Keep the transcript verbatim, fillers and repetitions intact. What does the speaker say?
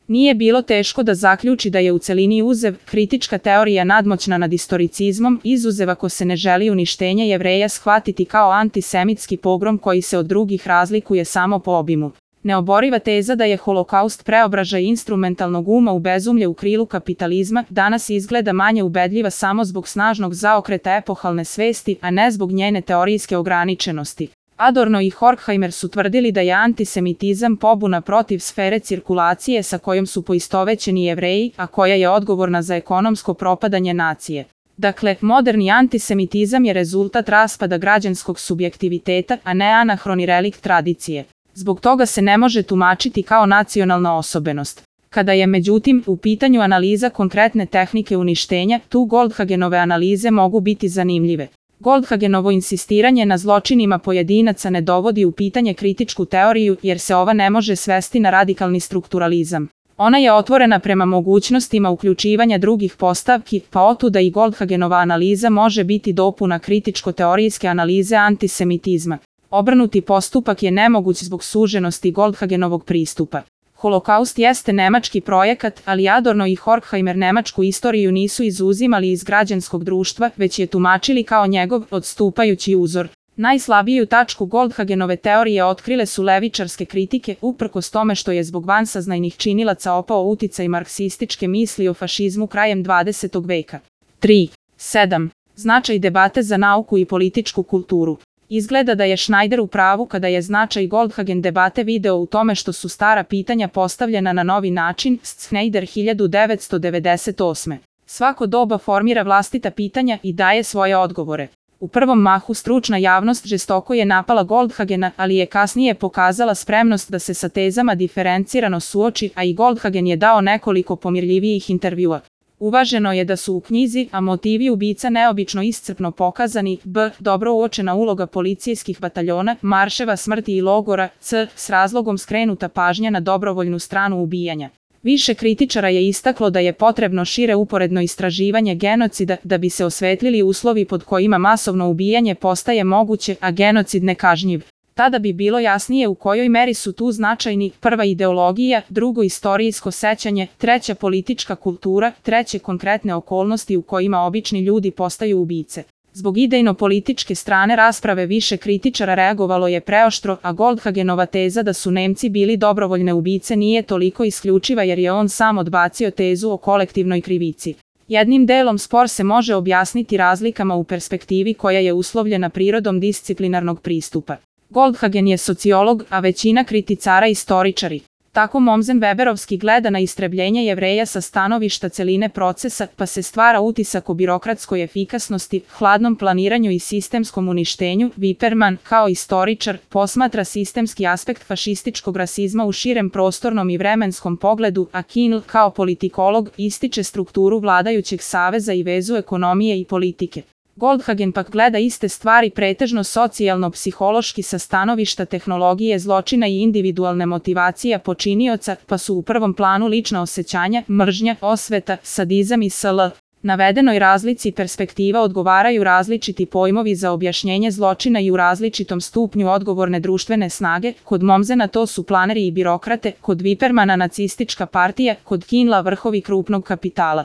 Nije bilo teško da zaključi da je u celini uzev, kritička teorija nadmoćna nad istoricizmom, izuzev ako se ne želi uništenje Jevreja shvatiti kao antisemitski pogrom koji se od drugih razlikuje samo po obimu. Neoboriva teza da je holokaust preobražaj instrumentalnog uma u bezumlje u krilu kapitalizma danas izgleda manje ubedljiva samo zbog snažnog zaokreta epohalne svesti, a ne zbog njene teorijske ograničenosti. Adorno i Horkheimer su tvrdili da je antisemitizam pobuna protiv sfere cirkulacije sa kojom su poistovećeni Jevreji, a koja je odgovorna za ekonomsko propadanje nacije. Dakle, moderni antisemitizam je rezultat raspada građanskog subjektiviteta, a ne anahroni relikt tradicije. Zbog toga se ne može tumačiti kao nacionalna osobenost. Kada je međutim u pitanju analiza konkretne tehnike uništenja, tu Goldhagenove analize mogu biti zanimljive. Goldhagenovo insistiranje na zločinima pojedinaca ne dovodi u pitanje kritičku teoriju jer se ova ne može svesti na radikalni strukturalizam. Ona je otvorena prema mogućnostima uključivanja drugih postavki, pa otuda i Goldhagenova analiza može biti dopuna kritičko-teorijske analize antisemitizma. Obrnuti postupak je nemoguć zbog suženosti Goldhagenovog pristupa. Holokaust jeste nemački projekat, ali Adorno i Horkheimer nemačku istoriju nisu izuzimali iz građanskog društva, već je tumačili kao njegov odstupajući uzor. Najslabiju tačku Goldhagenove teorije otkrile su levičarske kritike, uprkos tome što je zbog vansaznajnih činilaca opao uticaj marksističke misli o fašizmu krajem dvadesetog veka. tri. sedam. Značaj debate za nauku i političku kulturu. Izgleda da je Schneider u pravu kada je značaj Goldhagen debate video u tome što su stara pitanja postavljena na novi način, Schneider hiljadu devetsto devedeset osme. Svako doba formira vlastita pitanja i daje svoje odgovore. U prvom mahu stručna javnost žestoko je napala Goldhagena, ali je kasnije pokazala spremnost da se sa tezama diferencirano suoči, a i Goldhagen je dao nekoliko pomirljivijih intervjua. Uvaženo je da su u knjizi, a motivi ubica neobično iscrpno pokazani, b. dobro uočena uloga policijskih bataljona, marševa smrti i logora, c. s razlogom skrenuta pažnja na dobrovoljnu stranu ubijanja. Više kritičara je istaklo da je potrebno šire uporedno istraživanje genocida da bi se osvetlili uslovi pod kojima masovno ubijanje postaje moguće, a genocid nekažnjiv. Tada bi bilo jasnije u kojoj meri su tu značajni prva ideologija, drugo istorijsko sećanje, treća politička kultura, treće konkretne okolnosti u kojima obični ljudi postaju ubice. Zbog idejno-političke strane rasprave više kritičara reagovalo je preoštro, a Goldhagenova teza da su Nemci bili dobrovoljne ubice nije toliko isključiva jer je on sam odbacio tezu o kolektivnoj krivici. Jednim delom spor se može objasniti razlikama u perspektivi koja je uslovljena prirodom disciplinarnog pristupa. Goldhagen je sociolog, a većina kriticara istoričari. Tako Mommsen Weberovski gleda na istrebljenje Jevreja sa stanovišta celine procesa, pa se stvara utisak o birokratskoj efikasnosti, hladnom planiranju i sistemskom uništenju. Wiperman, kao istoričar, posmatra sistemski aspekt fašističkog rasizma u širem prostornom i vremenskom pogledu, a Kienl, kao politikolog, ističe strukturu vladajućeg saveza i vezu ekonomije i politike. Goldhagen pak gleda iste stvari pretežno socijalno-psihološki sa stanovišta tehnologije zločina i individualne motivacije počinioca, pa su u prvom planu lična osjećanja, mržnja, osveta, sadizam i sl. Navedenoj razlici perspektiva odgovaraju različiti pojmovi za objašnjenje zločina i u različitom stupnju odgovorne društvene snage. Kod Mommsena to su planeri i birokrate, kod Wipermana nacistička partija, kod Kienla vrhovi krupnog kapitala.